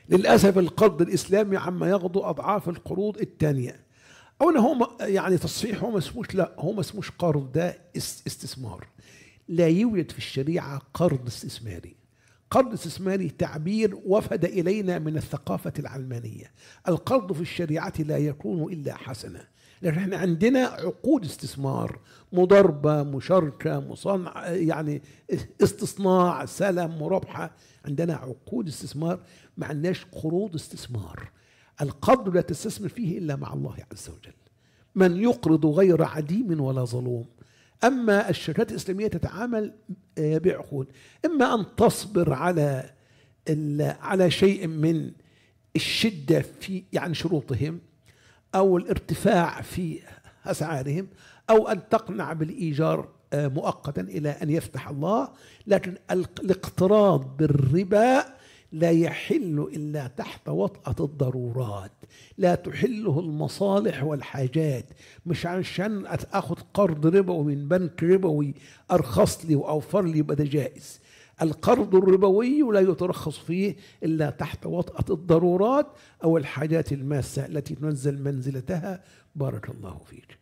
للأسف القرض الإسلامي عما ياخده أضعاف القروض الثانية. أولا هو يعني تصحيح، هو ما اسموش، لا هو ما اسموش قرض، ده استثمار. لا يوجد في الشريعة قرض استثماري. قرض استثماري تعبير وفد إلينا من الثقافة العلمانية. القرض في الشريعة لا يكون إلا حسنة، لأن احنا عندنا عقود استثمار، مضاربة، مشاركة، مصانع، يعني استصناع، سلم، مرابحة، عندنا عقود استثمار، ما عندناش قروض استثمار. القرض لا تستثمر فيه إلا مع الله عز وجل، من يقرض غير عديم ولا ظلوم. أما الشركات الإسلامية تتعامل بعقود، إما أن تصبر على شيء من الشدة في يعني شروطهم أو الارتفاع في أسعارهم، أو أن تقنع بالإيجار مؤقتا إلى أن يفتح الله. لكن الاقتراض بالربا لا يحل إلا تحت وطأة الضرورات، لا تحله المصالح والحاجات. مش عشان أخذ قرض ربوي من بنك ربوي أرخص لي وأوفر لي يبقى ده جائز. القرض الربوي لا يترخص فيه إلا تحت وطأة الضرورات أو الحاجات الماسة التي تنزل منزلتها. بارك الله فيك.